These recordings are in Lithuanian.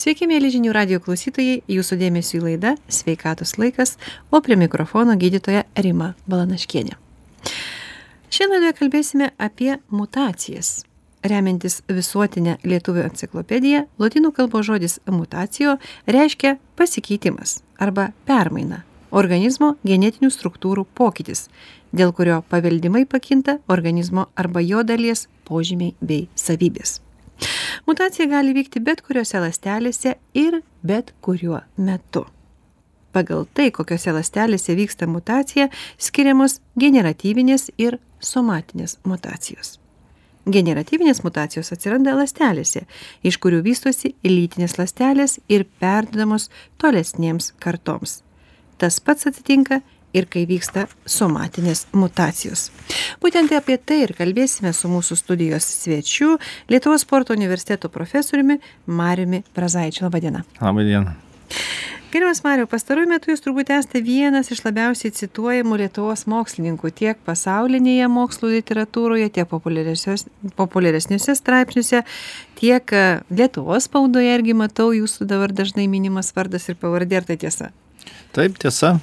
Sveiki, mėly žinių radijo klausytojai, jūsų dėmesio į laidą Sveikatos laikas, o prie mikrofono gydytoja Rima Balanaškienė. Šiandien laidoje kalbėsime apie mutacijas. Remiantis visuotinę lietuvių enciklopediją, lotynų kalbos žodis mutacijo reiškia pasikeitimas arba permaina, organizmo genetinių struktūrų pokytis, dėl kurio paveldimai pakinta organizmo arba jo dalies požymiai bei savybės. Mutacija gali vykti bet kuriuose ląstelėse ir bet kuriuo metu. Pagal tai, kokiose ląstelėse vyksta mutacija, skiriamos generatyvinės ir somatinės mutacijos. Generatyvinės mutacijos atsiranda ląstelėse, iš kurių vystosi lytinės ląstelės ir perduodamos tolesnėms kartoms. Tas pats atsitinka ir kai vyksta somatinės mutacijos. Būtent apie tai ir kalbėsime su mūsų studijos svečiu, Lietuvos sporto universiteto profesoriumi Mariumi Brazaičiu. Labą dieną. Labą dieną. Gerbiamas Mariau, pastaruoju metu jūs turbūt esate vienas iš labiausiai cituojamų Lietuvos mokslininkų tiek pasaulinėje mokslo literatūroje, tiek populiaresniuose straipsniuose, tiek Lietuvos spaudoje irgi matau jūsų dabar dažnai minimas vardas ir pavardė, ar tai tiesa? Taip, tiesa.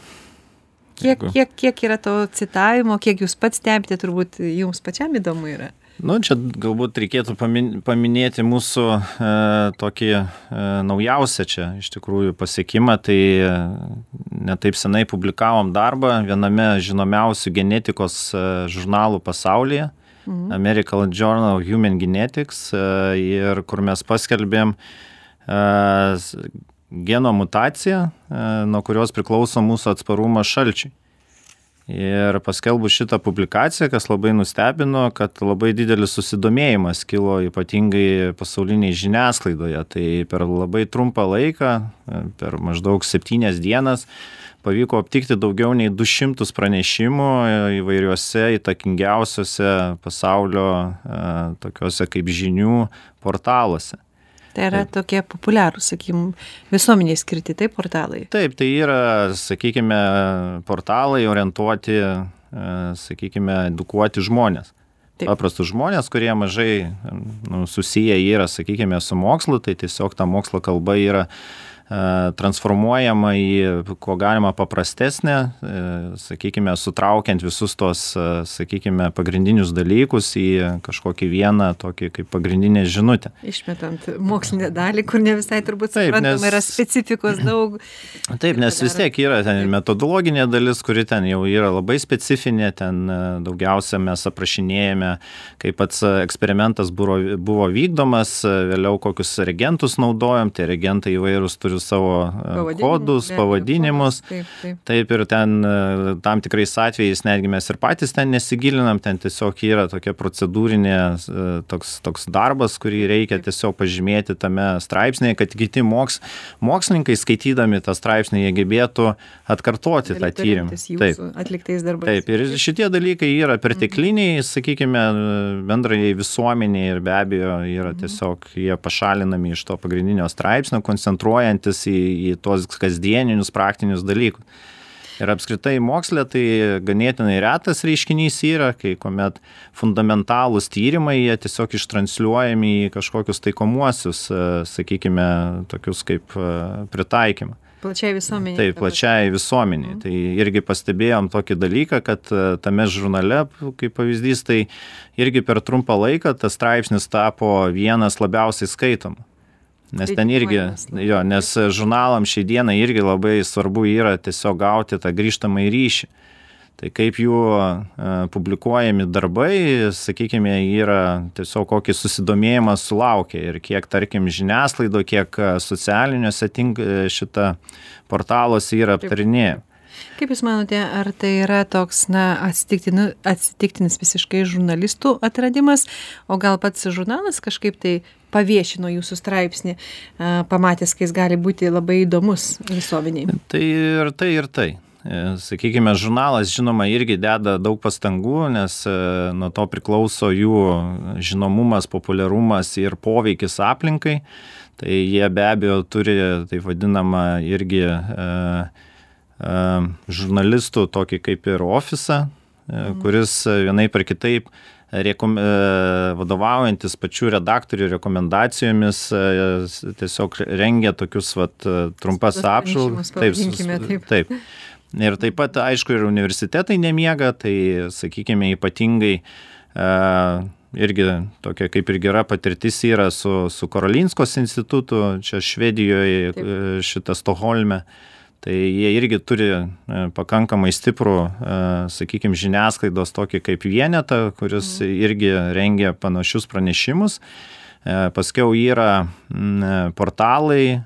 Kiek yra to citavimo, kiek jūs pats stebite, turbūt jums pačiam įdomu yra? Čia galbūt reikėtų paminėti mūsų tokį naujausią čia iš tikrųjų pasiekimą. Tai netaip senai publikavom darbą viename žinomiausių genetikos žurnalų pasaulyje, American Journal of Human Genetics, ir kur mes paskelbėm geno mutaciją, nuo kurios priklauso mūsų atsparumas šalčiui. Ir paskelbus šitą publikaciją, kas labai nustebino, kad labai didelis susidomėjimas kilo ypatingai pasauliniai žiniasklaidoje. Tai per labai trumpą laiką, per maždaug 7 dienas, pavyko aptikti daugiau nei 200 pranešimų įvairiuose įtakingiausiuose pasaulio tokiuose kaip žinių portaluose. Tai yra tokie populiarūs, visuomeniai skirti, taip, portalai? Taip, tai yra, portalai orientuoti, edukuoti žmonės. Taip. Paprastus žmonės, kurie mažai susiję yra, su mokslu, tai tiesiog ta mokslo kalba yra transformuojama į ko galima paprastesnę, sutraukiant visus tos, pagrindinius dalykus į kažkokį vieną tokį kaip pagrindinę žinutę. Išmetant mokslinę dalį, kur ne visai turbūt suprantama, yra specifikos daug. Taip, nes vis tiek yra ten metodologinė dalis, kuri ten jau yra labai specifinė, ten daugiausia mes aprašinėjame, kaip pats eksperimentas buvo vykdomas, vėliau kokius reagentus naudojam, tie reagentai įvairūs turi savo kodus, pavadinimus. Taip, ir ten tam tikrais atvejais netgi mes ir patys ten nesigilinam, ten tiesiog yra tokia procedūrinė toks darbas, kurį reikia tiesiog pažymėti tame straipsnėje, kad kiti mokslininkai skaitydami tą straipsnį jie gebėtų atkartoti tą tyrimą. Taip, ir šitie dalykai yra pertekliniai, bendrai visuomeniai ir be abejo yra tiesiog jie pašalinami iš to pagrindinio straipsnio, koncentruojant į tuos kasdieninius praktinius dalykus. Ir apskritai mokslė tai ganėtinai retas reiškinys yra, kai kuomet fundamentalūs tyrimai, jie tiesiog ištransliuojami į kažkokius taikomuosius, tokius kaip pritaikymą. Plačiai visuomeniai. Taip, plačiai visuomeniai. Tai irgi pastebėjom tokį dalyką, kad tame žurnale, kaip pavyzdys, tai irgi per trumpą laiką tas straipsnis tapo vienas labiausiai skaitomų. Nes ten irgi, nes žurnalam šiai dienai irgi labai svarbu yra tiesiog gauti tą grįžtamąjį ryšį. Tai kaip jų publikuojami darbai, yra tiesiog kokį susidomėjimą sulaukia ir kiek, tarkim, žiniasklaido, kiek socialiniuose šitą portaluose yra aptarinėjama. Kaip Jūs manote, ar tai yra toks, atsitiktinis visiškai žurnalistų atradimas, o gal pats žurnalas kažkaip tai paviešino jūsų straipsnį, pamatęs, kai jis gali būti labai įdomus visuomeniai? Tai ir tai. Žurnalas, žinoma, irgi deda daug pastangų, nes nuo to priklauso jų žinomumas, populiarumas ir poveikis aplinkai. Tai jie be abejo turi, taip vadinamą, irgi žurnalistų tokį kaip ir ofisą, kuris vienaip ar kitaip vadovaujantis pačių redaktorių rekomendacijomis, tiesiog rengia tokius trumpas apžvalgas. Taip. Ir taip pat, aišku, ir universitetai nemiega, tai, sakykime, ypatingai irgi tokia kaip ir gera patirtis yra su Karolinskos institutu, čia Švedijoje, Stokholme. Tai jie irgi turi pakankamai stiprų, sakykime, žiniasklaidos tokį kaip vienetą, kuris irgi rengia panašius pranešimus. Paskiau yra portalai,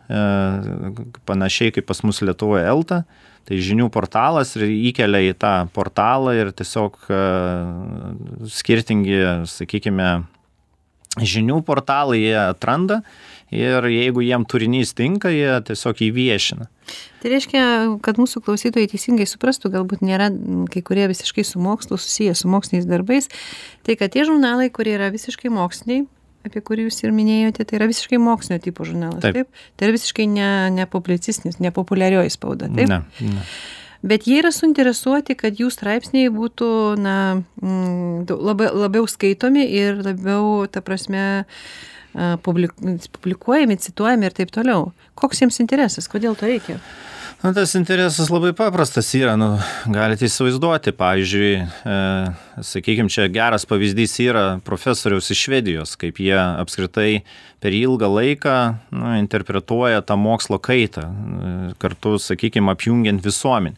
panašiai kaip pas mus Lietuvoje Elta, tai žinių portalas ir įkelia į tą portalą ir tiesiog skirtingi, sakykime, žinių portalai jie atranda ir jeigu jiem turinys tinka, jie tiesiog įviešina. Tai reiškia, kad mūsų klausytojai teisingai suprastų, galbūt nėra kai kurie visiškai su mokslu susiję, su moksliniais darbais, tai kad tie žurnalai, kurie yra visiškai moksliniai, apie kurį jūs ir minėjote, tai yra visiškai mokslinio tipo žurnalas, taip? Tai yra visiškai ne publicistinis, ne populiarioji spauda, taip? Ne. Bet jie yra suinteresuoti, kad jų straipsniai būtų labiau skaitomi ir labiau, ta prasme, publikuojami, cituojami ir taip toliau. Koks jiems interesas? Kodėl to reikia? Tas interesas labai paprastas yra, galite įsivaizduoti, pavyzdžiui, sakykime, čia geras pavyzdys yra profesoriaus iš Švedijos, kaip jie apskritai per ilgą laiką interpretuoja tą mokslo kaitą, kartu, sakykime, apjungiant visuomenę.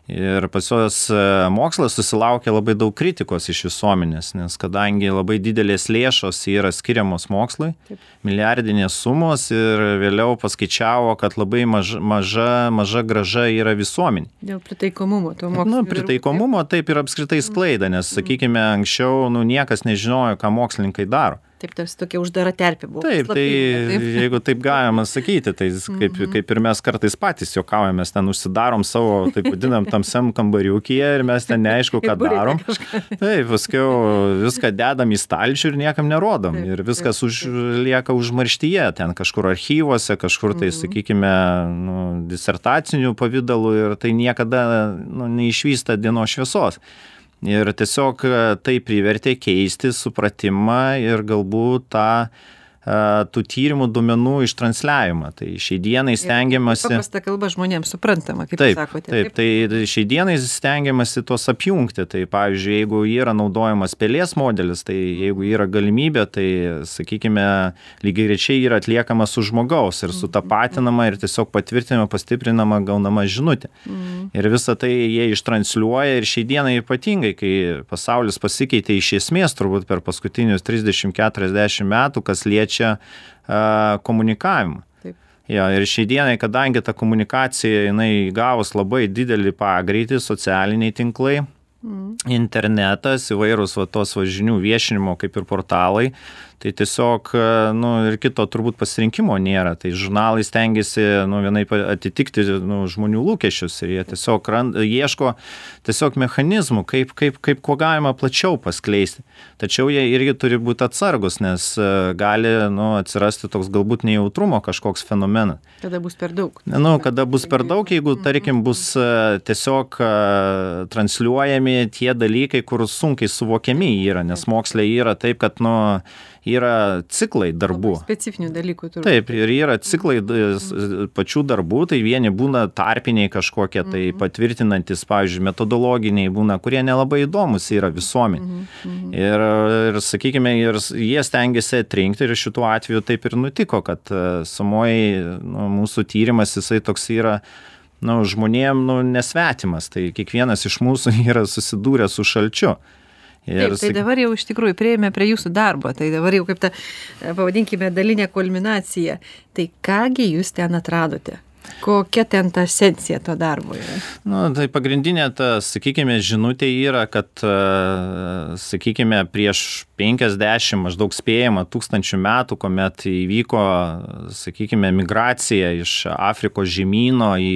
Ir pas juos mokslas susilaukia labai daug kritikos iš visuomenės, nes kadangi labai didelės lėšos yra skiriamos mokslui, milijardinės sumos ir vėliau paskaičiavo, kad labai maža grąža yra visuomenė. Dėl pritaikomumo to mokslo. Pritaikomumo taip ir apskritai sklaida, nes, sakykime, anksčiau niekas nežinojo, ką mokslininkai daro. Taip, tarsi tokia uždara terpė buvo. Taip, jeigu taip galima sakyti, tai kaip ir mes kartais patys juokaujame, mes ten užsidarom savo, taip vadinam, tamsiam kambariukyje ir mes ten neaišku, ką darom. Taip, paskiau viską dedam į stalčių ir niekam nerodom. Ir viskas lieka užmarštyje, ten kažkur archyvuose, kažkur tai, sakykime, disertacinių pavydalų ir tai niekada neišvysta dienos šviesos. Ir tiesiog tai privertė keisti supratimą ir galbūt tų tyrimų duomenų ištransliavimą. Tai šiai dienai stengiamasi... Paprasta kalba žmonėms suprantama, kaip sakote. Taip, tai šiai dienai stengiamasi tos apjungti. Tai pavyzdžiui, jeigu yra naudojamas pelės modelis, tai jeigu yra galimybė, tai, sakykime, lygiagrečiai yra atliekama su žmogaus ir sutapatinama ir tiesiog patvirtinama, pastiprinama, gaunama žinutė. Ir visą tai jie ištransliuoja ir šiai dienai ypatingai, kai pasaulis pasikeitė iš esmės turbūt per paskutinius 30-40 metų, kas liečia komunikavimą. Ja, ir šiai dienai, kadangi ta komunikacija jinai gavus labai didelį pagreitį, socialiniai tinklai, internetas, įvairūs tos žinių viešinimo kaip ir portalai, tai tiesiog ir kito turbūt pasirinkimo nėra. Tai žurnalai stengiasi vienaip atitikti žmonių lūkesčius ir jie tiesiog ieško tiesiog mechanizmų, kaip kuo galima plačiau paskleisti. Tačiau jie irgi turi būti atsargus, nes gali atsirasti toks galbūt nejautrumo kažkoks fenomenas. Kada bus per daug. Kada bus per daug, jeigu, tarkim, bus tiesiog transliuojami tie dalykai, kur sunkiai suvokiami yra, nes moksle yra taip, kad yra ciklai darbų. Specifinių dalykų turbūt. Taip, ir yra ciklai pačių darbų, tai vieni būna tarpiniai kažkokie, tai patvirtinantis, pavyzdžiui, metodologiniai būna, kurie nelabai įdomus yra visuomenė. Ir sakykime, jie stengiasi atrinkti ir šituo atveju taip ir nutiko, kad sumoji mūsų tyrimas, jisai toks yra žmonėm nesvetimas, tai kiekvienas iš mūsų yra susidūrę su šalčiu. Taip, tai dabar jau iš tikrųjų prieėmė prie jūsų darbo, tai dabar jau kaip ta, pavadinkime, dalinė kulminacija. Tai kągi jūs ten atradote? Kokia ten ta esencija to darbo yra? Tai pagrindinė sakykime, žinutė yra, kad, sakykime, prieš 50 maždaug spėjama tūkstančių metų, kuomet įvyko, sakykime, migracija iš Afrikos žemyno į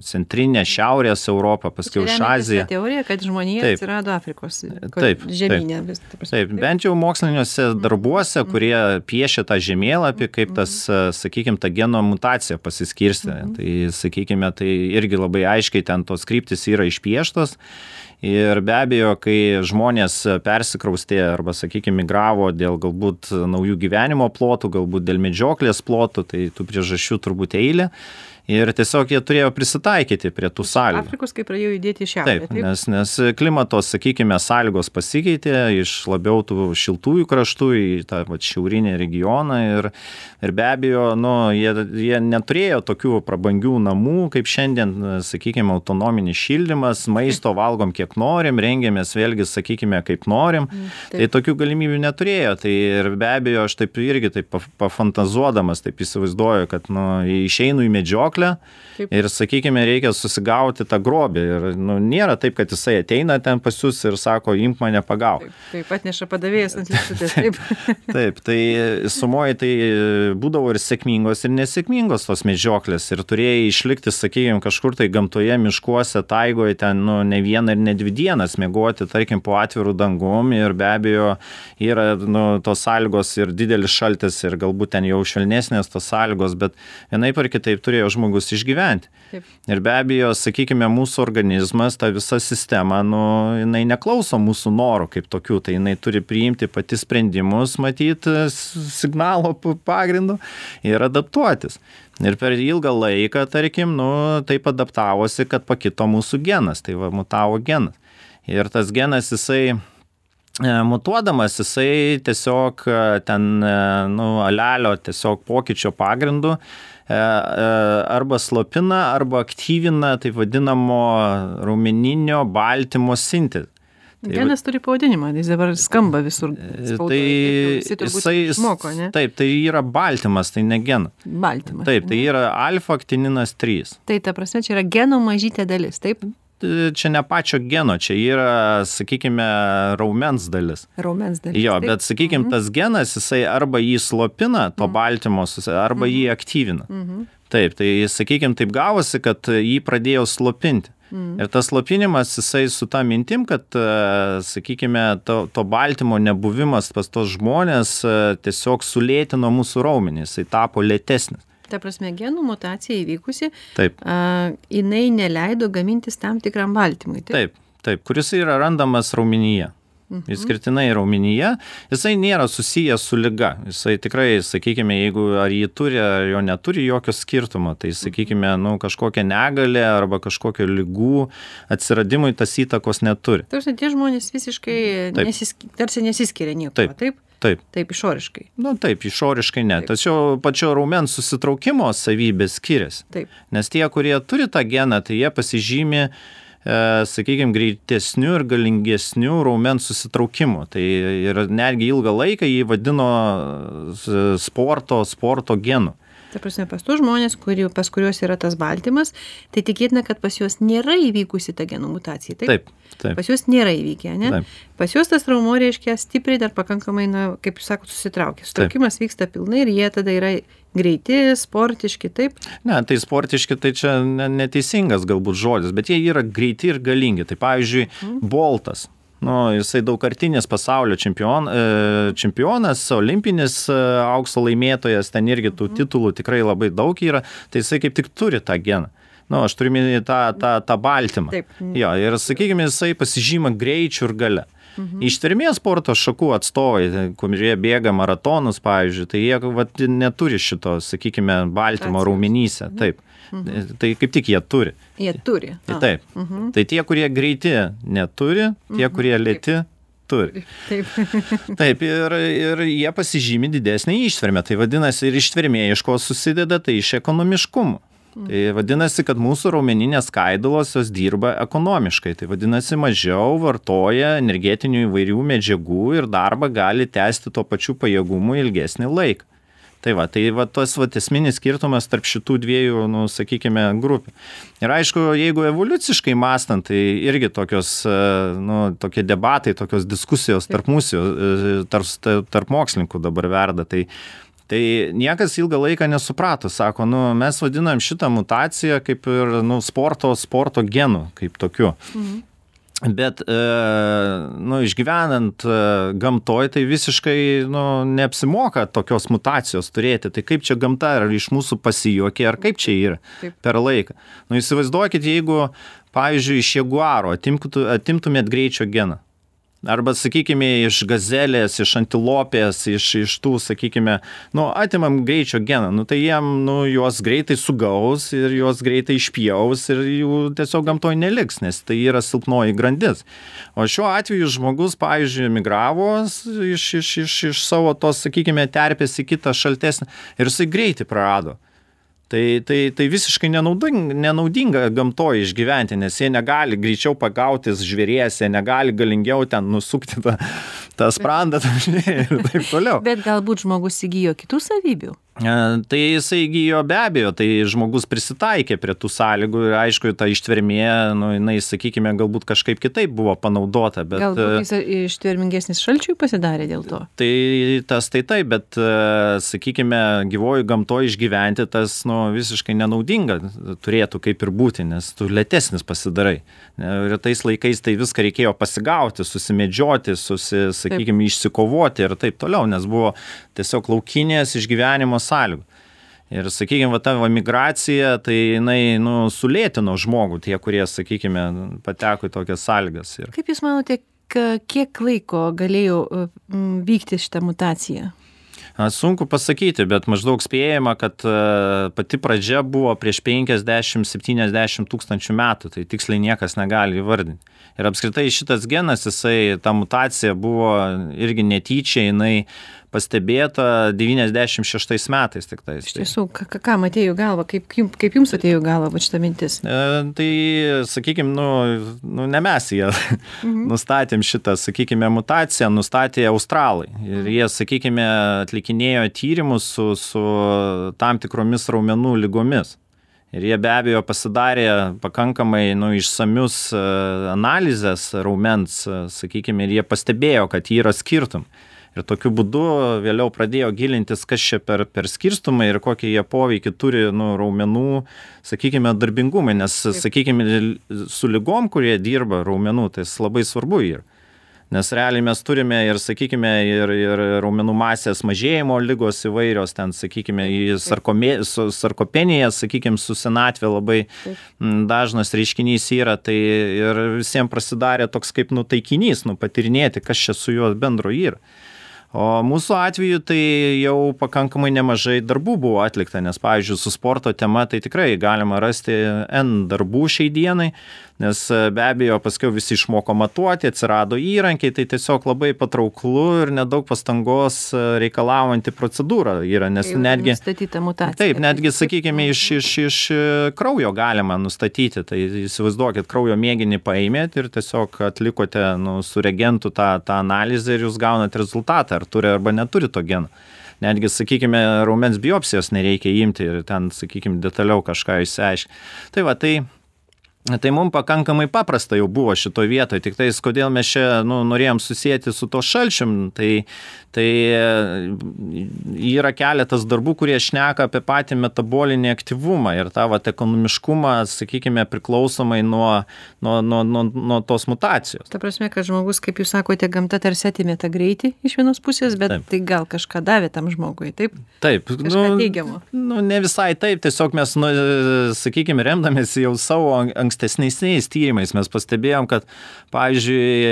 centrinę Šiaurės Europą, paskui iš Aziją. Tai teorija, kad žmonija atsirado Afrikos žemynė. Taip, bent jau moksliniuose darbuose, kurie piešia tą žemėlapį, kaip tas, sakykime, ta geno mutacija pasiskirstė. Tai, sakykime, tai irgi labai aiškiai ten tos kryptis yra išpieštos Ir be abejo, kai žmonės persikraustė arba, sakykime, migravo dėl galbūt naujų gyvenimo plotų, galbūt dėl medžioklės plotų, tai tų priežasčių turbūt eilė. Ir tiesiog jie turėjo prisitaikyti prie tų sąlygų. Afrikos, kai pradėjo judėti į šiaurę. Taip, nes klimatos, sakykime, sąlygos pasikeitė iš labiau tų šiltųjų kraštų į tą šiaurinį regioną ir be abejo, jie neturėjo tokių prabangių namų, kaip šiandien, sakykime, autonominis šildymas, maisto valgom kiek norim, rengiamės vėlgi, sakykime, kaip norim, tai tokių galimybių neturėjo. Tai ir be abejo, aš taip irgi taip pafantazuodamas, taip įsivaizduoju, kad išeinu į medžioklę. Taip. Ir, sakykime, reikia susigauti tą grobį. Ir nėra taip, kad jisai ateina ten pas jūs ir sako, imk mane pagauk. Taip, atneša padavėjas ant lėkštutės. Taip. Taip, tai sumoji tai būdavo ir sėkmingos, ir nesėkmingos tos medžioklės. Ir turėjai išlikti, sakykime, kažkur tai gamtoje, miškuose, taigoje, ten ne vieną ir ne 2 dienas miegoti, tarkim, po atvirų dangum. Ir be abejo, yra tos sąlygos ir didelis šaltis, ir galbūt ten jau švelnesnės tos sąlygos, bet vienaip ar kitaip turėjo žmogus išgyventi. Taip. Ir be abejo, sakykime, mūsų organizmas, ta visa sistema, jinai neklauso mūsų norų kaip tokių, tai jinai turi priimti pati sprendimus, matyti signalo pagrindu ir adaptuotis. Ir per ilgą laiką, tarkim, taip adaptavosi, kad pakito mūsų genas, tai mutavo genas. Ir tas genas, jisai mutuodamas, jisai tiesiog ten, alelio tiesiog pokyčio pagrindu arba slopina, arba aktyvina taip vadinamo raumeninio baltymo sintezę. Genas turi pavadinimą, jis dabar skamba visur. Tai jisai, taip, tai yra baltymas, tai ne genas. Baltymas. Taip, tai yra alfa-aktininas 3. Tai ta prasme, čia yra geno mažytė dalis, taip? Čia ne pačio geno, čia yra, sakykime, raumens dalis. Raumens dalis. Jo, bet, sakykime, tas genas, jisai arba jį slopina, to baltymo, arba jį aktyvina. Taip, tai, sakykime, taip gavosi, kad jį pradėjo slopinti. Ir tas slopinimas, jisai su ta mintim, kad, sakykime, to baltymo nebuvimas pas tos žmonės tiesiog sulėtino mūsų raumenį, jisai tapo lėtesnis. Ta prasme, genų mutacija įvykusi, taip. Jinai neleido gamintis tam tikram baltymui. Taip, kuris yra randamas raumenyje. Išskirtinai raumenyje, jisai nėra susijęs su liga. Jisai tikrai, sakykime, jeigu ar jį turi, ar jo neturi jokio skirtumo, tai, sakykime, kažkokia negalė arba kažkokio ligų atsiradimui tas įtakos neturi. Tarsi tie žmonės visiškai tarsi nesiskiria nieko, taip? Taip, išoriškai. Taip, išoriškai ne. Tačiau pačio raumens susitraukimo savybės skiriasi. Taip. Nes tie, kurie turi tą geną, tai jie pasižymi, sakykime, greitesnių ir galingesnių raumens susitraukimų. Tai ir netgi ilgą laiką jį vadino sporto genu. Ta prasme, pas tų žmonės, pas kuriuos yra tas baltymas, tai tikėtina, kad pas juos nėra įvykusi ta genų mutacija. Taip. Pas juos nėra įvykę, ne? Taip. Pas juos tas raumuo reiškia stipriai dar pakankamai, kaip jūs sakot, susitraukia. Sutraukimas vyksta pilnai ir jie tada yra greiti, sportiški, taip? Ne, tai sportiški, tai čia neteisingas galbūt žodis, bet jie yra greiti ir galingi. Tai pavyzdžiui, Boltas. Jisai daugkartinis pasaulio čempionas, olimpinis aukso laimėtojas, ten irgi tų titulų tikrai labai daug yra, tai jisai kaip tik turi tą geną. Aš turiu minėti tą baltymą. Taip. Jo, ir, sakykime, jisai pasižyma greičiu ir gale. Ištvermės sporto šakų atstovai, kurie bėga maratonus, pavyzdžiui, tai jie neturi šito, sakykime, baltymo raumenyse. Taip. Tai kaip tik jie turi. Jie turi. Taip. Tai tie, kurie greiti, neturi, tie, kurie lėti, turi. Taip, ir jie pasižymi didesnį ištvermę. Tai vadinasi, ir ištvermė iš ko susideda, tai iš ekonomiškumo. Tai vadinasi, kad mūsų raumeninės skaidulos jos dirba ekonomiškai. Tai vadinasi, mažiau vartoja energetinių įvairių medžiagų ir darbą gali tęsti tuo pačiu pajėgumu ilgesnį laiką. Tai tas esminis skirtumas tarp šitų dviejų, sakykime, grupių. Ir aišku, jeigu evoliuciškai mąstant, tai irgi tokios, tokie debatai, tokios diskusijos tarp mūsų, tarp mokslininkų dabar verda. Tai niekas ilgą laiką nesuprato, sako, mes vadinam šitą mutaciją kaip ir sporto genų, kaip tokiu. Bet, išgyvenant gamtoj, tai visiškai, neapsimoka tokios mutacijos turėti. Tai kaip čia gamta, ar iš mūsų pasijuokė, ar kaip čia yra per laiką. Įsivaizduokit, jeigu, pavyzdžiui, iš jaguaro atimtumėt greičio geną. Arba, sakykime, iš gazelės, iš antilopės, iš tų, sakykime, atimam greičio geną, tai jiem, juos greitai sugaus ir juos greitai išpjaus ir jų tiesiog gamtoj neliks, nes tai yra silpnoji grandis. O šiuo atveju žmogus, pavyzdžiui, migravo iš savo tos, sakykime, terpės į kitą šaltesnį ir jisai greitai prarado. Tai visiškai nenaudinga gamtoje išgyventi, nes jie negali greičiau pagautis žvėries, jie negali galingiau ten nusukti tą sprandą ir taip toliau. Bet galbūt žmogus įgijo kitų savybių? Tai jisai įgijo be abejo, tai žmogus prisitaikė prie tų sąlygų ir aišku, ta ištvermė, jinai, sakykime, galbūt kažkaip kitaip buvo panaudota. Bet, galbūt jis ištvermingesnis šalčiui pasidarė dėl to? Tai taip, bet, sakykime, gyvoji gamtoje išgyventi tas visiškai nenaudinga turėtų kaip ir būti, nes tu lėtesnis pasidarai. Ir tais laikais tai viską reikėjo pasigauti, susimedžioti, sakykime, išsikovoti ir taip toliau, nes buvo tiesiog laukinės išgyvenimo sąlygų. Ir, sakykime, ta migracija, tai jinai, sulėtino žmogų, tie, kurie, sakykime, pateko į tokias sąlygas. Kaip Jūs manote, kiek laiko galėjo vykti šitą mutaciją? Sunku pasakyti, bet maždaug spėjama, kad pati pradžia buvo prieš 50-70 tūkstančių metų, tai tiksliai niekas negali įvardinti. Ir apskritai šitas genas, ta mutacija buvo irgi netyčia, jinai pastebėta 96 metais tik tais. Iš tiesų, kam atėjo galva, kaip jums atėjo galva šita mintis? Tai, sakykime, ne mes jie nustatėm šitą, sakykime, mutaciją, nustatė australai. Ir jie, sakykime, atlikinėjo tyrimus su tam tikromis raumenų ligomis. Ir jie be abejo pasidarė pakankamai išsamius analizės raumens, sakykime, ir jie pastebėjo, kad yra skirtum. Ir tokiu būdu vėliau pradėjo gilintis, kas čia per skirstumą ir kokį jie poveikį turi raumenų, sakykime, darbingumai, nes, sakykime, su ligom, kurie dirba raumenų, tai labai svarbu yra. Nes realiai mes turime ir, sakykime, ir raumenų masės mažėjimo ligos įvairios, ten, sakykime, sarkopenija, sakykime, su senatvė labai dažnas reiškinys yra, tai ir visiems prasidarė toks kaip taikinys, patirinėti, kas čia su juo bendro yra. O mūsų atveju tai jau pakankamai nemažai darbų buvo atlikta, nes, pavyzdžiui, su sporto tema tai tikrai galima rasti N darbų šiai dienai, nes be abejo paskiau visi išmoko matuoti, atsirado įrankiai, tai tiesiog labai patrauklu ir nedaug pastangos reikalaujanti procedūra yra, nes netgi, taip, netgi, sakykime, iš kraujo galima nustatyti, tai įsivaizduokit, kraujo mėginį paėmėt ir tiesiog atlikote su reagentu tą analizę ir jūs gaunat rezultatą, ar turi arba neturi to geno. Netgi, sakykime, raumens biopsijos nereikia imti ir ten, sakykime, detaliau kažką išsiaiškinti. Tai mums pakankamai paprasta jau buvo šitoje vietoje, tik tais, kodėl mes čia norėjom susijęti su to šalčium, tai yra keletas darbų, kurie šneka apie patį metabolinį aktyvumą ir tą ekonomiškumą, sakykime, priklausomai nuo tos mutacijos. Ta prasme, kad žmogus, kaip jūs sakote, gamta tarsi atėmė tą greitį iš vienos pusės, bet taip. Tai gal kažką davė tam žmogui, taip? Taip. Kažką teigiamo. Ne visai taip, tiesiog mes, sakykime, remdamės jau savo ankstesniais tyrimais, mes pastebėjom, kad, pavyzdžiui,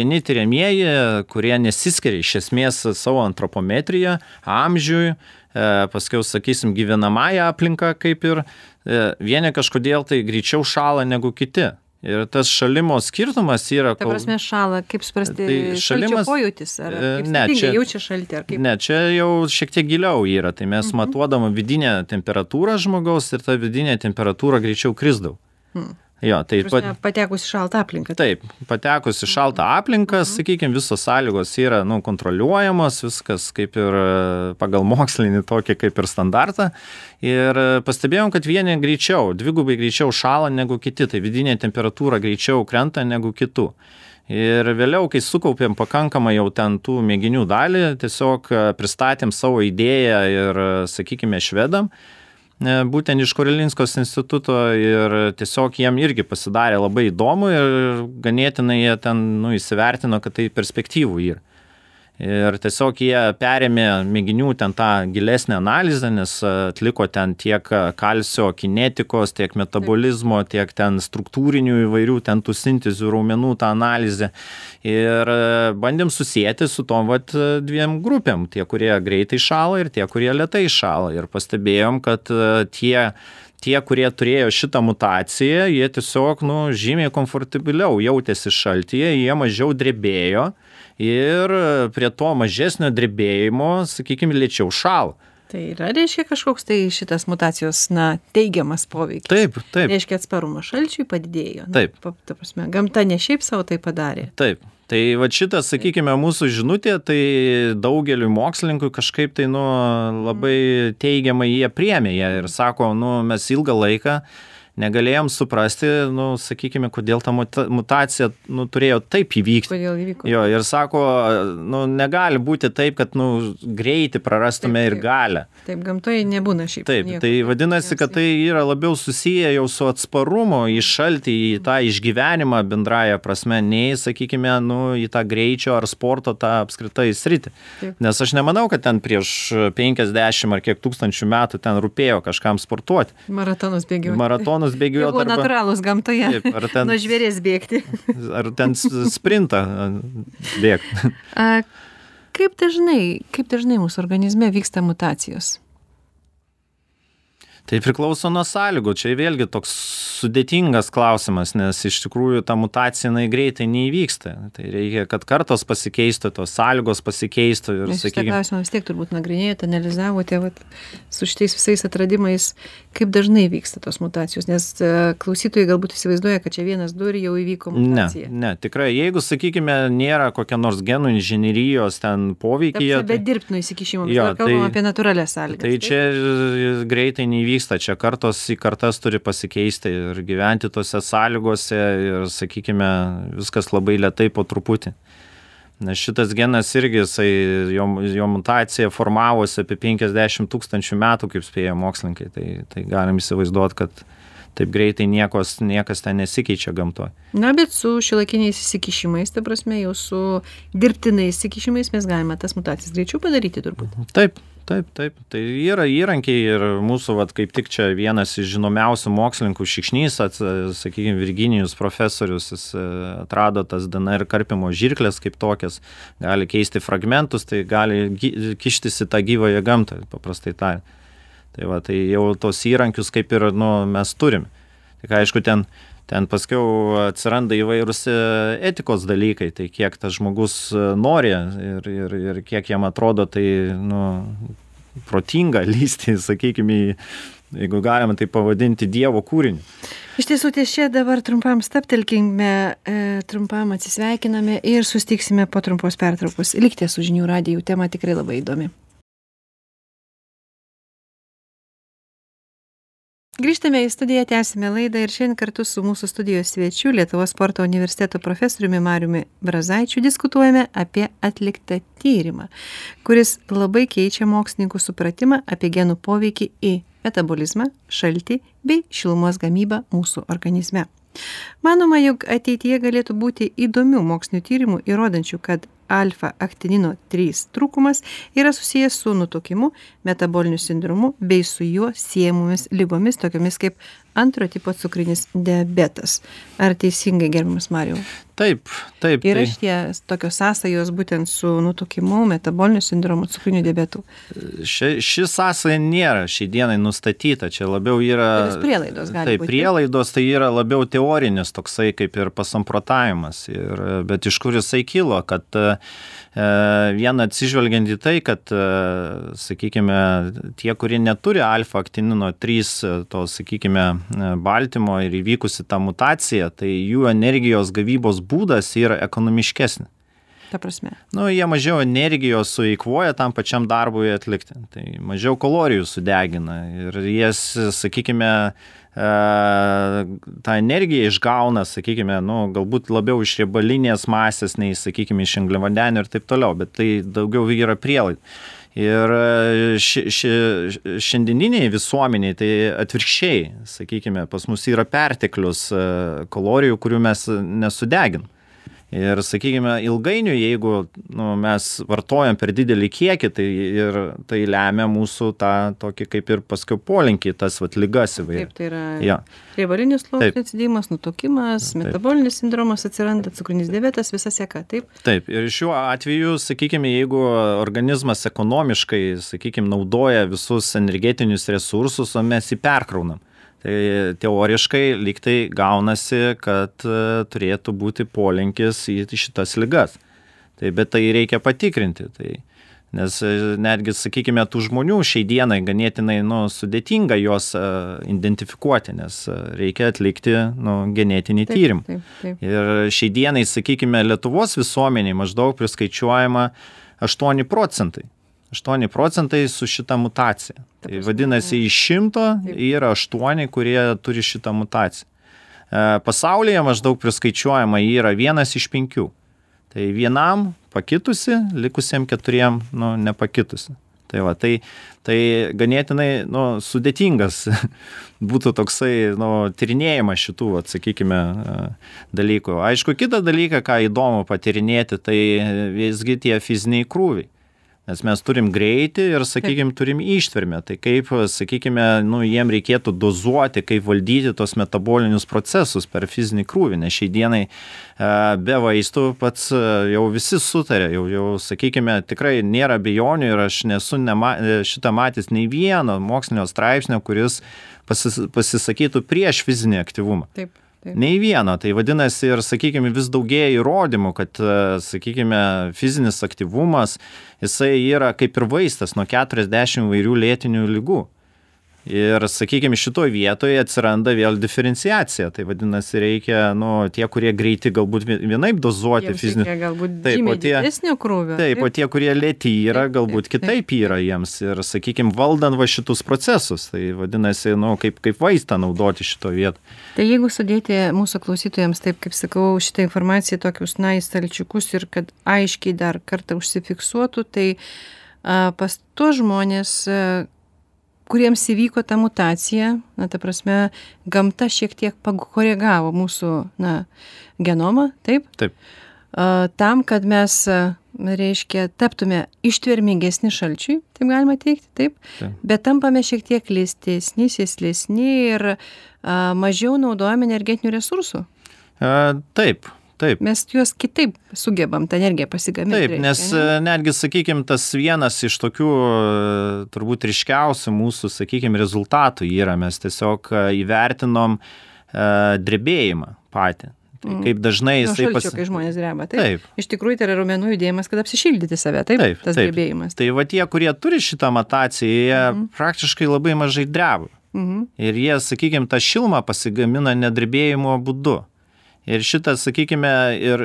vieni tyriamieji, kurie nesiskiria iš esmės savo antropometriją, amžiui, paskiau, sakysim, gyvenamąją aplinką, kaip ir vieni kažkodėl tai greičiau šąla negu kiti. Ir tas šalimo skirtumas yra... Ta prasme šąla, kaip suprasti, šalčio pojūtis, ar kaip skirtingai jaučia šaltį, ar kaip? Ne, čia jau šiek tiek giliau yra, tai mes matuodama vidinę temperatūrą žmogaus ir ta vidinė temperatūra greičiau krisdavo. Jo, tai patekus į šaltą aplinką. Taip, patekus į šaltą aplinką, sakykime, visos sąlygos yra kontroliuojamos, viskas kaip ir pagal mokslinį tokį kaip ir standartą. Ir pastebėjom, kad vieni greičiau, dvigubai greičiau šąla negu kiti, tai vidinė temperatūra greičiau krenta negu kitų. Ir vėliau, kai sukaupėm pakankamai jau ten tų mėginių dalį, tiesiog pristatėm savo idėją ir, sakykime, švedam. būtent iš Karolinskos instituto ir tiesiog jiem irgi pasidarė labai įdomu ir ganėtinai jie ten įsivertino, kad tai perspektyvų yra. Ir tiesiog jie perėmė mėginių ten tą gilesnę analizę, nes atliko ten tiek kalcio kinetikos, tiek metabolizmo, tiek ten struktūrinių įvairių ten tų sintezių raumenų tą analizę. Ir bandėm susijęti su tom dviem grupėm, tie, kurie greitai šąla ir tie, kurie lėtai šąla. Ir pastebėjom, kad tie, kurie turėjo šitą mutaciją, jie tiesiog žymiai komfortabiliau jautėsi šaltyje, jie mažiau drebėjo. Ir prie to mažesnio drebėjimo, sakykime, lėčiau šąla. Tai reiškia kažkoks tai šitas mutacijos, teigiamas poveikis. Taip. Reiškia atsparumo šalčiui padidėjo. Taip. Ta prasme, gamta ne šiaip savo tai padarė. Taip. Tai šitas, sakykime, mūsų žinutė, tai daugeliu mokslininkų kažkaip tai, labai teigiamai jie priėmė ir sako, mes ilgą laiką negalėjom suprasti, sakykime, kodėl ta mutacija turėjo taip įvykti. Kodėl įvyko? Jo, ir sako, negali būti taip, kad greitį prarastume ir galią. Taip, gamtoje nebūna šiaip. Taip, tai vadinasi, kad tai yra labiau susiję jau su atsparumo į šaltį, į tą išgyvenimą bendraja prasme, nei, sakykime, į tą greičio ar sporto tą apskritai sritį. Taip. Nes aš nemanau, kad ten prieš 50 ar kiek tūkstančių metų ten rūpėjo kažkam sportuoti. Maratonus bėgioti. Bėgioti. Buvo natūralūs gamtoje. Taip, nuo žvėries bėgti. Ar ten sprintą bėgti. Kaip dažnai mūsų organizme vyksta mutacijos? Tai priklauso nuo sąlygų. Čia vėlgi toks sudėtingas klausimas, nes iš tikrųjų ta mutacija greitai neįvyksta. Tai reikia, kad kartos pasikeistų, tos sąlygos pasikeistų. Ir, šitą klausimą vis tiek turbūt nagrinėjote, analizavote su šitais visais atradimais, kaip dažnai vyksta tos mutacijos, nes klausytojai galbūt įsivaizduoja, kad čia 1-2 ir jau įvyko mutacija. Ne, tikrai, jeigu, sakykime, nėra kokia nors genų inžinerijos ten poveikyje. Be dirbtinio įsikišimo, mes kalbam apie natūralias sąlygas. Tai čia greitai neįvyksta, čia kartos į kartas turi pasikeisti ir gyventi tose sąlygose ir, sakykime, viskas labai lėtai po truputį. Nes šitas genas irgi, jo mutacija formavosi apie 50 000 metų, kaip spėja mokslininkai, tai galim įsivaizduoti, kad taip greitai niekas ten nesikeičia gamtoje. Bet su šiuolaikiniais įsikišimais, ta prasme, jau su dirbtinais įsikišimais mes galime tas mutacijas greičiau padaryti turbūt. Taip. Tai yra įrankiai ir mūsų, kaip tik čia vienas iš žinomiausių mokslininkų Šikšnys, sakykime, Virginijus profesorius, jis atrado tas DNR karpimo žirklės kaip tokias, gali keisti fragmentus, tai gali kištis į tą gyvąją gamtą, paprastai tariant. Tai jau tos įrankius kaip ir mes turime. Tik aišku, ten paskiau atsiranda įvairūs etikos dalykai, tai kiek tas žmogus nori ir kiek jam atrodo tai protinga lysti, sakykime, jeigu galima tai pavadinti Dievo kūrinį. Iš tiesų, ties čia dabar trumpam stabtelkime, trumpam atsisveikiname ir susitiksime po trumpos pertraukos. Likite su Žinių radiju, tema tikrai labai įdomi. Grįžtame į studiją, tęsime laidą ir šiandien kartu su mūsų studijos svečiu Lietuvos sporto universiteto profesoriumi Mariumi Brazaičiu diskutuojame apie atliktą tyrimą, kuris labai keičia mokslininkų supratimą apie genų poveikį į metabolizmą, šaltį bei šilumos gamybą mūsų organizme. Manoma, jog ateityje galėtų būti įdomių mokslinių tyrimų įrodančių, kad alfa-aktinino 3 trūkumas yra susijęs su nutukimu, metaboliniu sindromu bei su juo siejamomis ligomis, tokiomis kaip antro tipo cukrinis diabetas. Ar teisingai, gerbiamas Marijau? Taip. Yra šitie tokios sąsajos būtent su nutukimu, metaboliniu sindromu, cukriniu diabetu? Ši sąsaja nėra šiai dienai nustatyta, čia labiau yra... Prielaidos gali būti. Prielaidos tai yra labiau teorinis toksai kaip ir pasamprotavimas, bet iš kur jisai kilo, kad viena atsižvelgiant į tai, kad, sakykime, tie, kurie neturi alfa-aktinino 3, to, sakykime, baltymo ir įvykusi tą mutaciją, tai jų energijos gavybos būdas yra ekonomiškesnis. Ta prasme. Jie mažiau energijos sueikvoja tam pačiam darbui atlikti, tai mažiau kalorijų sudegina ir jas, sakykime, tą energiją išgauna, sakykime, galbūt labiau iš riebalinės masės, nei, sakykime, iš angliavandenių ir taip toliau, bet tai daugiau yra prielaidų. Ir šiandieniniai visuomeniai tai atvirkščiai, sakykime, pas mus yra perteklius kalorijų, kurių mes nesudegin. Ir, sakykime, ilgainiui, jeigu mes vartojam per didelį kiekį, tai lemia mūsų tą tokį kaip ir paskui polinkį, tas ligas įvairias. Taip, tai yra riebalinis sluoksnio atsidėjimas, nutukimas, metabolinis sindromas atsiranda, cukrinis diabetas, visa seka, taip? Taip, ir šiuo atveju, sakykime, jeigu organizmas ekonomiškai, sakykime, naudoja visus energetinius resursus, o mes jį perkraunam. Tai teoriškai lyg tai gaunasi, kad turėtų būti polinkis į šitas ligas. Bet tai reikia patikrinti. Nes netgi, sakykime, tų žmonių šiai dienai ganėtinai sudėtinga juos identifikuoti, nes reikia atlikti genetinį tyrimą. Taip. Ir šiai dienai, sakykime, Lietuvos visuomeniai maždaug priskaičiuojama 8%. 8% su šita mutacija. Tai vadinasi, iš 100 yra 8, kurie turi šitą mutaciją. Pasaulyje maždaug priskaičiuojama yra 1 iš 5. Tai vienam pakitusi, likusiem 4 nepakitusi. Tai ganėtinai sudėtingas būtų toksai tyrinėjimas šitų, sakykime, dalykų. Aišku, kitą dalyką, ką įdomu patyrinėti, tai visgi tie fiziniai krūviai. Nes mes turim greitį ir, sakykime, turim ištvermę. Tai kaip, sakykime, jiem reikėtų dozuoti, kaip valdyti tos metabolinius procesus per fizinį krūvį. Nes šiai dienai be vaistų pats jau visi sutarė, jau sakykime, tikrai nėra abejonių ir aš nesu šitą matęs nei vieno mokslinio straipsnio, kuris pasisakytų prieš fizinį aktyvumą. Taip. Nei vieno, tai vadinasi ir, sakykime, vis daugėja įrodymų, kad, sakykime, fizinis aktyvumas, jisai yra kaip ir vaistas nuo 40 įvairių lėtinių ligų. Ir, sakykime, šitoje vietoje atsiranda vėl diferenciacija. Tai vadinasi, reikia, tie, kurie greiti galbūt vienaip dozuoti fizinį. Jiems reikia galbūt žymiai didesnio krūvio. Taip, o tie, kurie lėti yra, galbūt kitaip yra jiems. Ir, sakykime, valdant šitus procesus. Tai vadinasi, kaip vaistą naudoti šitoje vietoje. Tai jeigu sudėti mūsų klausytojams, taip kaip sakau, šitą informaciją tokius į stalčiukus ir kad aiškiai dar kartą užsifiksuotų, tai pas tuos žmonės, kuriems įvyko ta mutacija, ta prasme, gamta šiek tiek pakoregavo mūsų, genomą, taip? Taip. Tam, kad mes, reiškia, taptume ištvermingesni šalčiui, taip galima teikti, taip? Bet tampame šiek tiek lėstesni, sėslesni ir mažiau naudojame energetinių resursų. Taip. Mes juos kitaip sugebam tą energiją pasigaminti. Taip, nes netgi, sakykime, tas vienas iš tokių turbūt ryškiausių mūsų, sakykime, rezultatų yra, mes tiesiog įvertinom drebėjimą patį. Tai kaip dažnai jisai kai žmonės dreba, taip? Iš tikrųjų, tai yra raumenų judėjimas, kad apsišildyti save, taip? Tas drebėjimas. Tai va tie, kurie turi šitą mutaciją, jie praktiškai labai mažai dreba. Ir jie, sakykime, tą šilumą pasigamina nedrebėjimo būdu. Ir šitą, sakykime, ir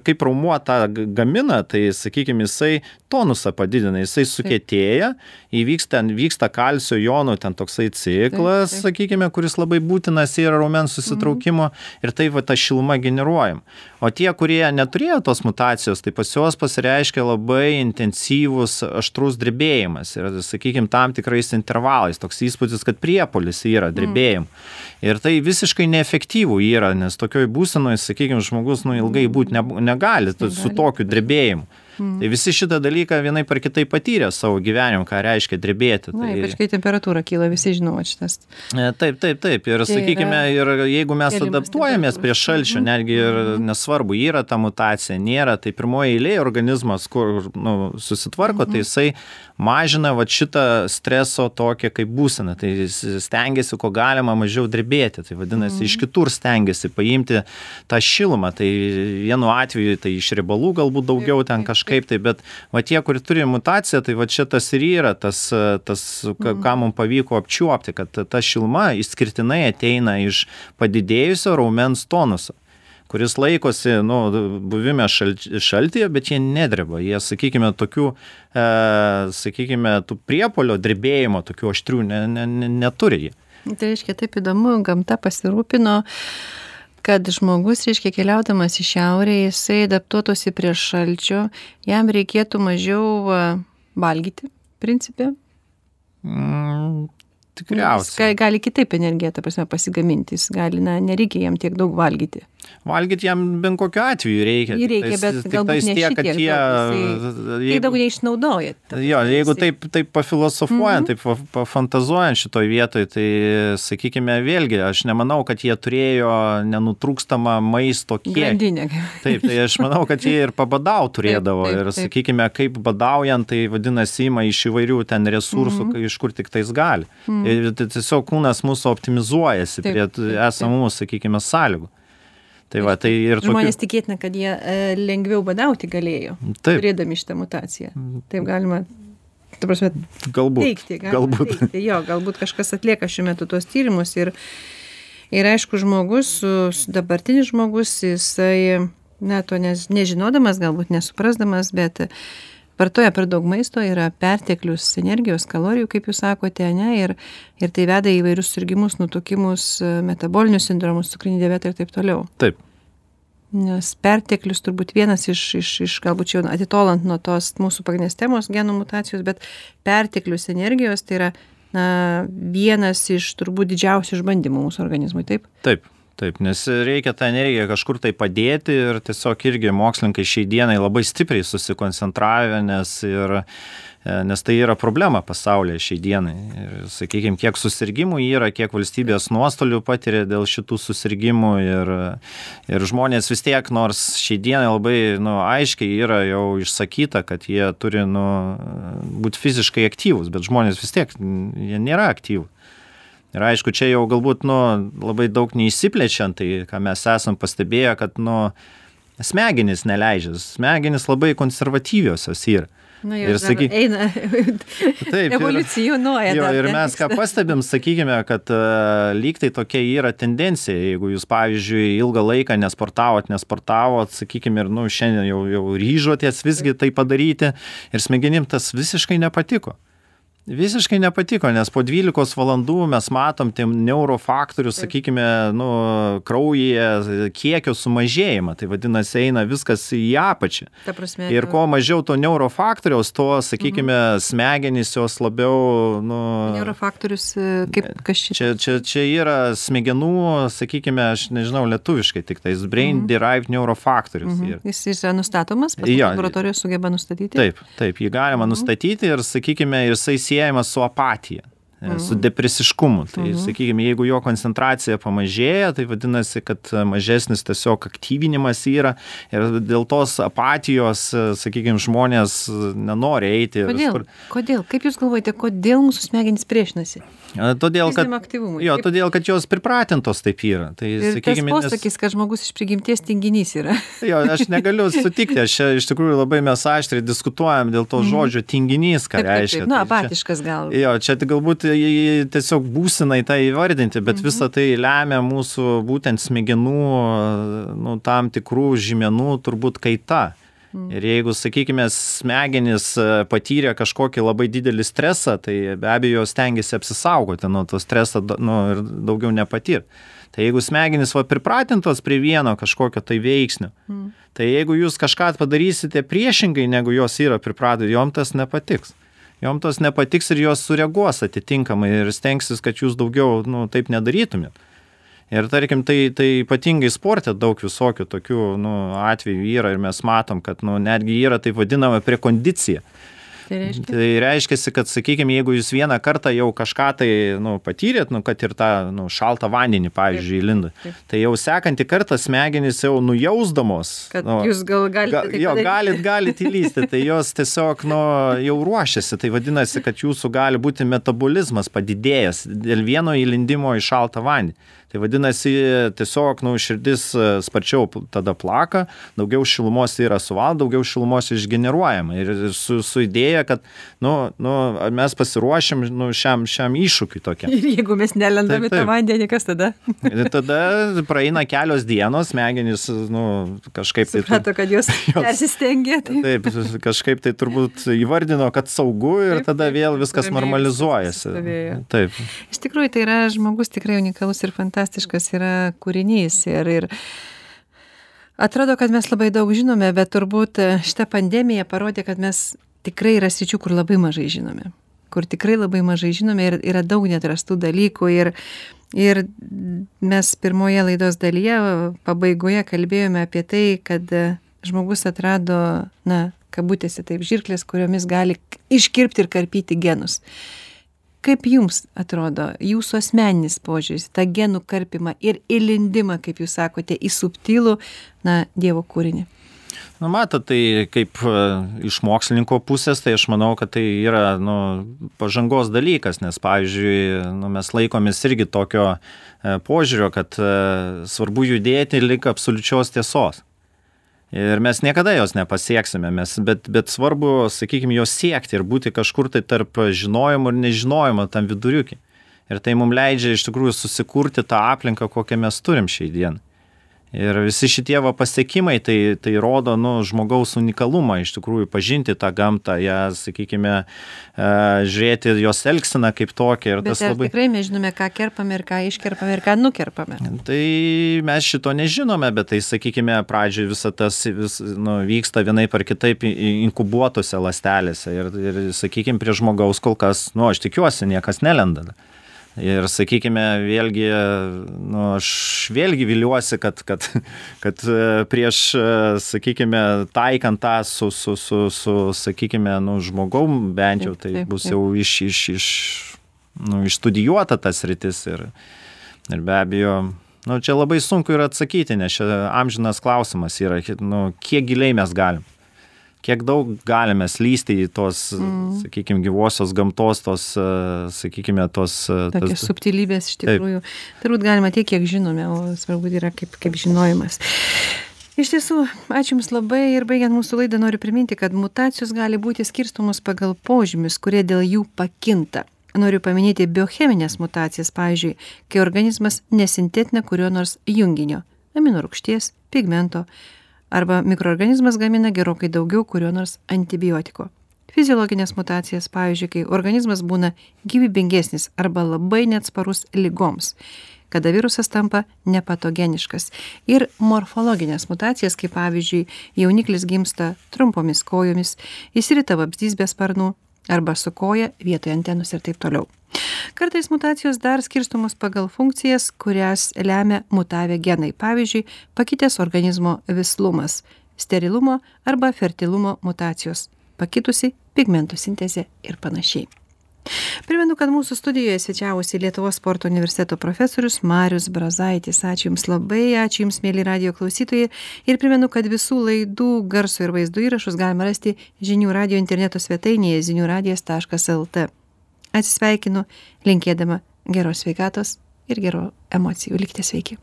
kaip raumuo tą gamina, tai, sakykime, jisai tonusą padidina, jisai sukietėja, vyksta kalcio jonų, ten toksai ciklas, sakykime, kuris labai būtinas yra raumens susitraukimo ir taip va ta šiluma generuojam. O tie, kurie neturėjo tos mutacijos, tai pas juos pasireiškia labai intensyvus aštrus drebėjimas ir, sakykime, tam tikrais intervalais, toks įspūdis, kad priepuolis yra drebėjim. Ir tai visiškai neefektyvų yra, nes tokioj būsenoje, sakykime, žmogus ilgai būti negali su tokiu drebėjimu. Tai visi šitą dalyką vienai par kitai patyrė savo gyvenimą, ką reiškia drebėti. Ypač kai temperatūra kyla, visi žino šitas. Taip. Ir, sakykime, ir jeigu mes adaptuojamės prie šalčio, netgi ir nesvarbu, yra ta mutacija, nėra, tai pirmoji eilė organizmas, kur susitvarko, tai jisai mažina šitą streso tokią kaip būseną. Tai stengiasi, ko galima mažiau drebėti. Tai vadinasi, iš kitur stengiasi paimti tą šilumą. Tai vienu atveju tai iš riebalų galbūt daugiau ten kažkaip tai, bet va tie, kurie turi mutaciją, tai va čia tas ir yra, tas ką mums pavyko apčiuopti, kad ta šiluma išskirtinai ateina iš padidėjusio raumens tonuso, kuris laikosi, buvime šaltyje, bet jie nedreba. Jie, sakykime, tokių, tų priepuolio drebėjimo, tokių aštrių neturi jie. Tai reiškia, taip įdomu, gamta pasirūpino, kad žmogus, reiškia, keliaudamas į šiaurę, jisai adaptuotųsi prie šalčio, jam reikėtų mažiau valgyti, principe? Tikriausiai. Jis gali kitaip energiją, ta prasme, pasigaminti. Jis gali, nereikia jam tiek daug valgyti. Valgyti jam bent kokiu atveju reikia. Jį reikia, bet galbūt ne šitiek daug. Jisai daug neišnaudoja. Jo, jeigu taip pafilosofuojant, taip pafantazuojant šitoj vietoj, tai, sakykime, vėlgi, aš nemanau, kad jie turėjo nenutrūkstamą maisto kiekį. Grandinę. Taip, tai aš manau, kad jie ir pabadau turėdavo. Ir, sakykime, kaip badaujant, tai vadinasi, ima iš įvairių ten resursų, iš kur tik tais gali. Ir tiesiog kūnas mūsų optimizuojasi prie esamų, sakykime, sąlygų. Tai va, tai ir žmonės tikėtina, kad jie lengviau badauti galėjo, turėdami šitą mutaciją. Taip galima, ta prasme, teikti. Galbūt kažkas atlieka šiuo metu tuos tyrimus ir aišku, žmogus, dabartinis žmogus, jisai, to nežinodamas, galbūt nesuprasdamas, bet vartoja per daug maisto, yra perteklius energijos, kalorijų, kaip jūs sakote, ir tai veda į įvairius susirgimus, nutukimus, metabolinius sindromus, cukrinį diabetą ir taip toliau. Taip. Nes perteklius turbūt vienas iš galbūt čia atitolant nuo tos mūsų pagrindinės temos genų mutacijos, bet perteklius energijos tai yra vienas iš turbūt didžiausių išbandymų mūsų organizmui, taip? Taip, nes reikia tą energiją kažkur tai padėti ir tiesiog irgi mokslininkai šiai dienai labai stipriai susikoncentravę, nes tai yra problema pasaulyje šiai dienai. Ir, sakykime, kiek susirgymų yra, kiek valstybės nuostolių patiria dėl šitų susirgymų ir žmonės vis tiek, nors šiai dienai labai aiškiai yra jau išsakyta, kad jie turi būti fiziškai aktyvūs, bet žmonės vis tiek jie nėra aktyvūs. Ir aišku, čia jau galbūt labai daug neįsiplečiant, tai ką mes esam pastebėję, kad smegenys neleidžia, smegenys labai konservatyviosios yra. Ir eina, evoliucionuoja. Ir mes ką pastebim, sakykime, kad lyg tai tokia yra tendencija, jeigu jūs, pavyzdžiui, ilgą laiką nesportavot, sakykime, ir šiandien jau ryžotės visgi tai padaryti ir smegenim tas visiškai nepatiko. Visiškai nepatiko, nes po 12 valandų mes matom neurofaktorių, sakykime, kraujyje kiekio sumažėjimą. Tai vadinasi, eina viskas į apačią. Ir kuo mažiau to neurofaktoriaus, to, sakykime, smegenys jos labiau... Neurofaktorius, kaip kas čia yra smegenų, sakykime, aš nežinau lietuviškai, tik tais brain derived neurofaktorius. Jis yra nustatomas, laboratorijos sugeba nustatyti? Taip, jį galima nustatyti ir, sakykime, jisai siejamas su apatija, su depresiškumu. Tai, sakykime, jeigu jo koncentracija pamažėja, tai vadinasi, kad mažesnis tiesiog aktyvinimas yra ir dėl tos apatijos, sakykime, žmonės nenori eiti. Kodėl? Kaip jūs galvojate, kodėl mūsų smegenys priešinasi? Todėl, kad jos pripratintos taip yra. Tai, ir sakykime, tas posakis, kad žmogus iš prigimties tinginys yra. Aš negaliu sutikti, iš tikrųjų labai mes aštriai diskutuojam dėl to žodžio tinginys, ką reiškia. Apatiškas gal. Čia galbūt tiesiog būsinai tai įvardinti, bet visa tai lemia mūsų būtent smegenų tam tikrų žymenų turbūt kaita. Ir jeigu, sakykime, smegenys patyrė kažkokį labai didelį stresą, tai be abejo stengiasi apsisaugoti nuo to streso ir daugiau nepatirti. Tai jeigu smegenys pripratintos prie vieno kažkokio tai veiksnio, tai jeigu jūs kažką padarysite priešingai, negu jos yra pripratę, jom tas nepatiks. Jom tas nepatiks ir jos sureaguos atitinkamai ir stengsis, kad jūs daugiau taip nedarytumėt. Ir tarkim, tai ypatingai sporte daug visokių tokių atvejų yra ir mes matom, kad netgi yra taip vadinama prekondicija. Tai reiškia, kad, sakykime, jeigu jūs vieną kartą jau kažką tai patyrėt, kad ir tą šaltą vandenį, pavyzdžiui, įlinda, tai jau sekantį kartą smegenys jau nujausdamos. Kad jūs galit įlysti, tai jos tiesiog jau ruošiasi. Tai vadinasi, kad jūsų gali būti metabolizmas padidėjęs dėl vieno įlindimo į šaltą vandenį. Tai vadinasi, tiesiog širdis sparčiau tada plaka, daugiau šilumos yra suvalgoma, daugiau šilumos išgeneruojama. Ir su idėja, kad mes pasiruošim šiam iššūkiui tokiam. Ir jeigu mes nelendame tą vandenį, kas tada? Ir tada praeina kelios dienos, smegenys kažkaip tai... Suprato, kad jos persistengė. Taip, kažkaip tai turbūt įvardino, kad saugu ir tada vėl viskas normalizuojasi. Taip. Iš tikrųjų, tai yra žmogus tikrai unikalus ir fantastiškas yra kūrinys ir atrodo, kad mes labai daug žinome, bet turbūt šita pandemija parodė, kad mes tikrai yra sričių, kur labai mažai žinome. Kur tikrai labai mažai žinome ir yra daug neatrastų dalykų. Ir mes pirmoje laidos dalyje, pabaigoje kalbėjome apie tai, kad žmogus atrado, kabutėse taip, žirklės, kuriomis gali iškirpti ir karpyti genus. Kaip jums atrodo jūsų asmeninis požiūris, tą genų karpimą ir įlindimą, kaip jūs sakote, į subtilų, Dievo kūrinį? Matot, tai kaip iš mokslininko pusės, tai aš manau, kad tai yra pažangos dalykas, nes, pavyzdžiui, mes laikomės irgi tokio požiūrio, kad svarbu judėti lik absoliučios tiesos. Ir mes niekada jos nepasieksime, bet svarbu, sakykime, jos siekti ir būti kažkur tai tarp žinojimo ir nežinojimo tam viduriuki. Ir tai mums leidžia iš tikrųjų susikurti tą aplinką, kokią mes turim šiai dienai. Ir visi šitie pasiekimai tai rodo žmogaus unikalumą, iš tikrųjų pažinti tą gamtą, ją, sakykime, žiūrėti jos elgseną kaip tokią. Bet tikrai mes žinome, ką kerpame ir ką iškerpame ir ką nukerpame. Tai mes šito nežinome, bet tai, sakykime, pradžioj visą tas vyksta vienaip ar kitaip inkubuotose ląstelėse. Ir sakykime, prie žmogaus kol kas, aš tikiuosi, niekas nelenda. Ir, sakykime, vėlgi, aš vėlgi viliuosi, kad prieš, sakykime, taikant tą su sakykime, žmogaum bent jau, tai bus jau išstudijuota tas sritis ir be abejo, čia labai sunku yra atsakyti, nes čia amžinas klausimas yra, kiek giliai mes galim. Kiek daug galime slysti į tos, sakykime, gyvosios gamtos, tos, sakykime, tos... Tokios subtilybės iš tikrųjų. Turbūt galima tiek, kiek žinome, o svarbu yra kaip žinojimas. Iš tiesų, ačiū Jums labai ir baigiant mūsų laidą noriu priminti, kad mutacijos gali būti skirstomos pagal požymius, kurie dėl jų pakinta. Noriu paminėti biocheminės mutacijas, pavyzdžiui, kai organizmas nesintetina kurio nors junginio, aminorūgšties, pigmento, arba mikroorganizmas gamina gerokai daugiau kurio nors antibiotiko. Fiziologinės mutacijas, pavyzdžiui, kai organizmas būna gyvybingesnis arba labai neatsparus ligoms, kada virusas tampa nepatogeniškas. Ir morfologinės mutacijas, kaip pavyzdžiui, jauniklis gimsta trumpomis kojomis, išsirita vabzdys be sparnų arba su koja vietoje antenos ir taip toliau. Kartais mutacijos dar skirstomos pagal funkcijas, kurias lemia mutavę genai. Pavyzdžiui, pakitęs organizmo vislumas, sterilumo arba fertilumo mutacijos, pakitusi pigmentų sintezė ir panašiai. Primenu, kad mūsų studijoje svečiavosi Lietuvos sporto universiteto profesorius Marius Brazaitis. Ačiū Jums labai, ačiū Jums, mėly radijo klausytojai. Ir primenu, kad visų laidų garso ir vaizdo įrašus galima rasti Žinių radijo interneto svetainėje ziniuradijas.lt. Atsisveikinu, linkėdama geros sveikatos ir gerų emocijų. Likite sveiki.